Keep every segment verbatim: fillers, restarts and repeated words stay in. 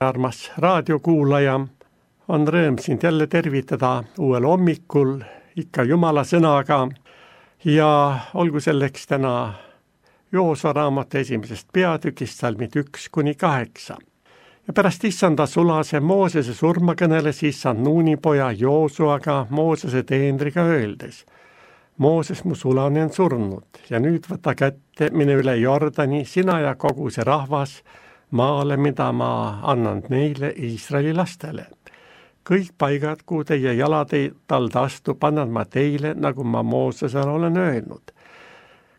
armas raadiokuulaja, on rõõm sind jälle tervitada uuel hommikul ikka Jumala sõnaga ja olgu selleks täna Joosua raamatu esimesest peatükist salmid üks kuni kaheksa. Ja pärast issanda sulase Moosese surma kõneles issand Nuuni poja Joosuaga Moosese teenriga öeldes: Mooses, mu sulane on surnud ja nüüd võta kätte, mine üle Jordani, sina ja kogu see rahvas maale, mida ma annan neile Iisraeli lastele. Kõik paigad, kuhu teie jalad ei talda astub, annan ma teile, nagu ma Moosesele olen öelnud.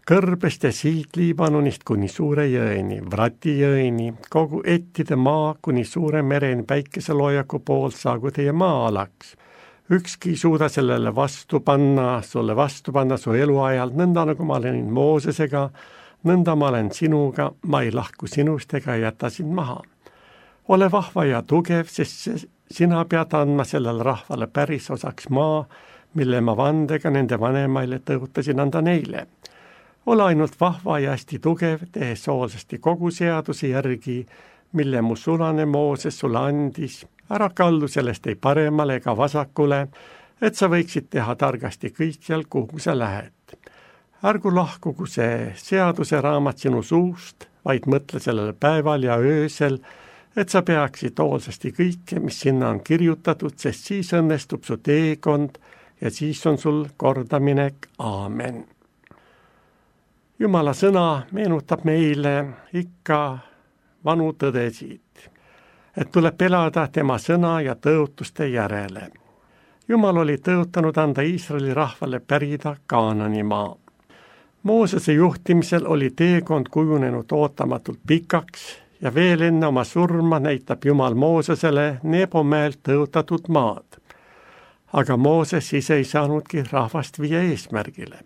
Kõrbest ja siit Liibanonist kuni suure jõeni, Vrati jõeni, kogu ettide maa kuni suure mereni päikeseloojaku poolt saagu teie maa-alaks. Ükski suuda sellele vastu panna, sulle vastu panna su eluajal, nõnda nagu ma olen Moosesega, nõnda ma olen sinuga, ma ei lahku sinust ega jäta sind maha. Ole vahva ja tugev, sest sina pead andma sellele rahvale päris osaks maa, mille ma vandega nende vanemaile tõotasin anda neile. Ole ainult vahva ja hästi tugev, tehes hoolsasti kogu seaduse järgi, mille mu sulane Mooses sulle andis. Ära kaldu sellest ei paremale ega vasakule, et sa võiksid teha targasti kõikjal, kuhu sa lähed. Ärgu lahkugu see seaduse raamat sinu suust, vaid mõtle sellele päeval ja öösel, et sa peaksid hoolsasti kõike, mis sinna on kirjutatud, sest siis õnnestub su teekond ja siis on sul kordaminek. Aamen. Jumala sõna meenutab meile ikka vanu tõdesid, et tuleb elada tema sõna ja tõotuste järele. Jumal oli tõotanud anda Iisraeli rahvale pärida Kaanani maa. Moosese juhtimisel oli teekond kujunenud ootamatult pikaks ja veel enne oma surma näitab Jumal Moosesele Nebo mäelt tõotatud maad. Aga Mooses ise ei saanudki rahvast viia eesmärgile.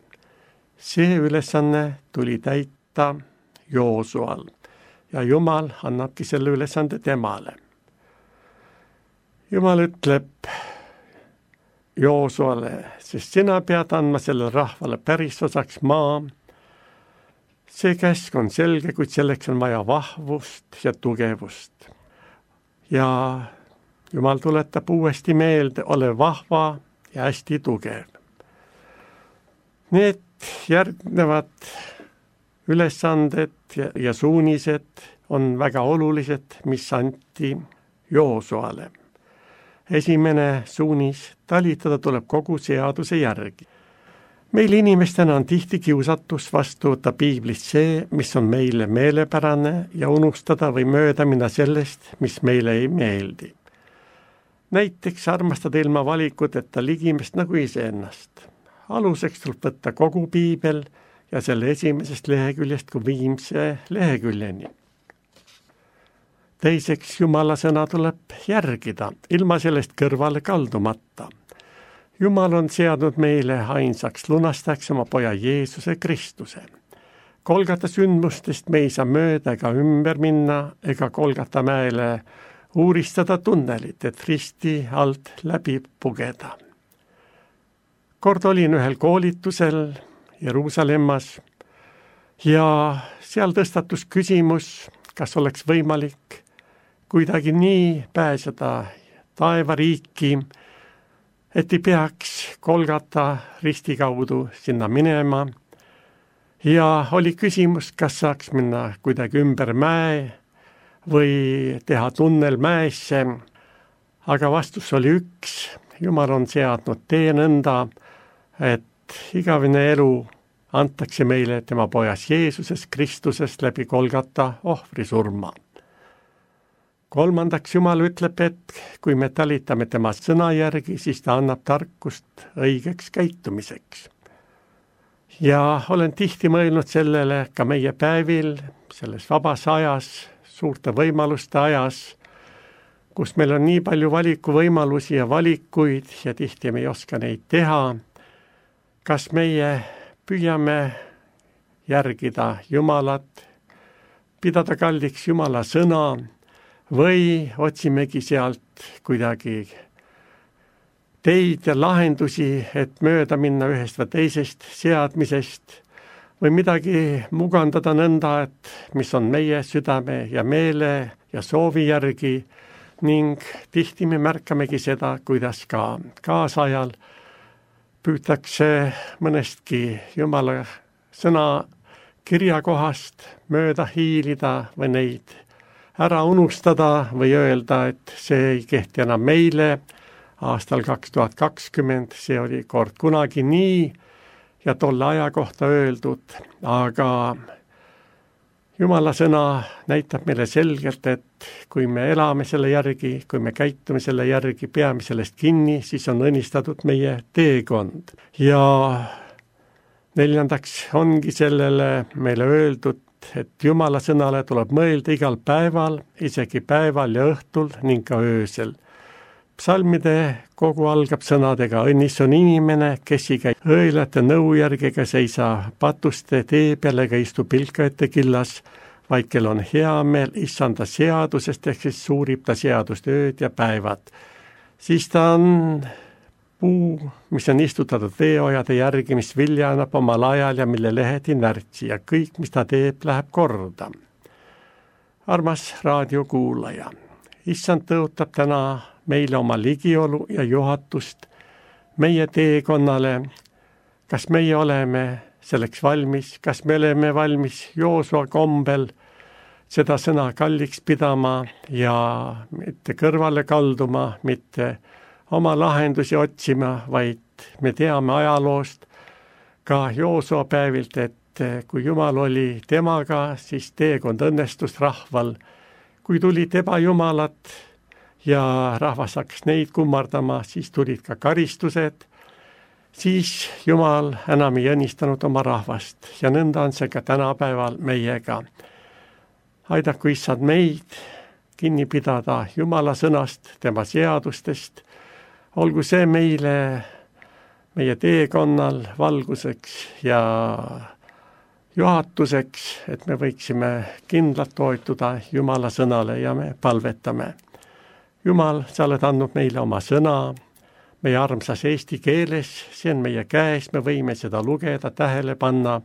See ülesanne tuli täita Joosual ja Jumal annabki selle ülesande temale. Jumal ütleb Joosuale, sest sina pead andma sellele rahvale päris osaks maa. See käsk on selge, kuid selleks on vaja vahvust ja tugevust. Ja Jumal tuletab uuesti meelde, ole vahva ja hästi tugev. Need järgnevad ülesanded ja, ja suunised on väga olulised, mis anti Joosuale. Esimene suunis, talitada tuleb kogu seaduse järgi. Meil inimestena on tihti kiusatus vastu võtta piiblist see, mis on meile meelepärane ja unustada või mööda minna sellest, mis meile ei meeldi. Näiteks armastada ilma valikuteta ligimest nagu iseennast. Aluseks tuleb võtta kogu piibel ja selle esimesest leheküljest kui viimse leheküljeni. Teiseks, Jumala sõna tuleb järgida, ilma sellest kõrvale kaldumata. Jumal on seadnud meile ainsaks lunastajaks oma poja Jeesuse Kristuse. Kolgata sündmustest me ei saa mööda ega ümber minna ega Kolgata mäele uuristada tunnelit, et risti alt läbi pugeda. Kord olin ühel koolitusel Jeruusalemmas ja seal tõstatus küsimus, kas oleks võimalik kuidagi nii pääseda taevariiki, et ei peaks Kolgata risti kaudu sinna minema. Ja oli küsimus, kas saaks minna kuidagi ümber mäe või teha tunnel mäesse, aga vastus oli üks. Jumal on seadnud tee nõnda, et igavene elu antakse meile tema pojas Jeesuses Kristusest läbi Kolgata ohvrisurma. Kolmandaks, Jumal ütleb, et kui me talitame tema sõna järgi, siis ta annab tarkust õigeks käitumiseks. Ja olen tihti mõelnud sellele ka meie päevil, selles vabas ajas, suurte võimaluste ajas, kus meil on nii palju valikuvõimalusi ja valikuid ja tihti me ei oska neid teha. Kas meie püüame järgida Jumalat, pidada kalliks Jumala sõna või otsimegi sealt kuidagi teid ja lahendusi, et mööda minna ühest või teisest seadmisest või midagi mugandada nõnda, et mis on meie südame ja meele ja soovi järgi ning tihti me märkamegi seda, kuidas ka kaasajal püütakse mõnestki Jumala sõna kirjakohast mööda hiilida või neid ära unustada või öelda, et see ei kehti enam meile. Aastal kaks tuhat kakskümmend see oli kord kunagi nii ja tolle aja kohta öeldud, aga Jumala sõna näitab meile selgelt, et kui me elame selle järgi, kui me käitume selle järgi, peame sellest kinni, siis on õnnistatud meie teekond. Ja neljandaks ongi sellele meile öeldud, et Jumala sõnale tuleb mõelda igal päeval, isegi päeval ja õhtul ning ka öösel. Psalmide kogu algab sõnadega: õnnis on inimene, kes ei käi õilate nõu järgi ega seisa patuste tee peal ega istu pilkajate killas, vaid kel on hea meel issanda seadusest, ehk siis suurib ta seadust ööd ja päevad. Siis ta on puu, mis on istutatud veeojade järgi, mis vilja annab omal ajal ja mille lehed ei närtsi ja kõik, mis ta teeb, läheb korda. Armas raadiokuulaja, issand tõotab täna meile oma ligiolu ja juhatust meie teekonnale. Kas meie oleme selleks valmis, kas me oleme valmis Joosua kombel seda sõna kalliks pidama ja mitte kõrvale kalduma, mitte oma lahendusi otsima, vaid me teame ajaloost ka Joosua päevilt, et kui Jumal oli temaga, siis teekond õnnestus rahval. Kui tulid ebajumalad ja rahvas hakkas neid kummardama, siis tulid ka karistused, siis Jumal enam ei õnnistanud oma rahvast ja nõnda on see ka tänapäeval meiega. Aidaku issand meid kinni pidada Jumala sõnast, tema seadustest, olgu see meile, meie teekonnal valguseks ja juhatuseks, et me võiksime kindlalt toetuda Jumala sõnale ja me palvetame. Jumal, sa oled andnud meile oma sõna, meie armsas eesti keeles, see on meie käes, me võime seda lugeda, tähele panna,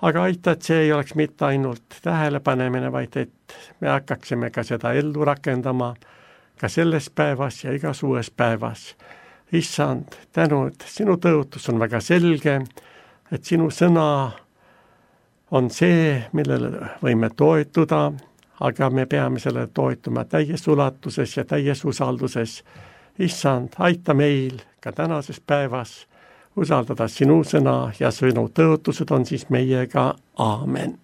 aga aita, et see ei oleks mitte ainult tähelepanemine, vaid et me hakkaksime ka seda ellu rakendama ka selles päevas ja igas uues päevas. Issand, tänu, et sinu tõotus on väga selge, et sinu sõna on see, millele võime toetuda, aga me peame selle toetuma täies ulatuses ja täies usalduses. Issand, aita meil ka tänases päevas usaldada sinu sõna ja sinu tõotused on siis meiega. Aamen.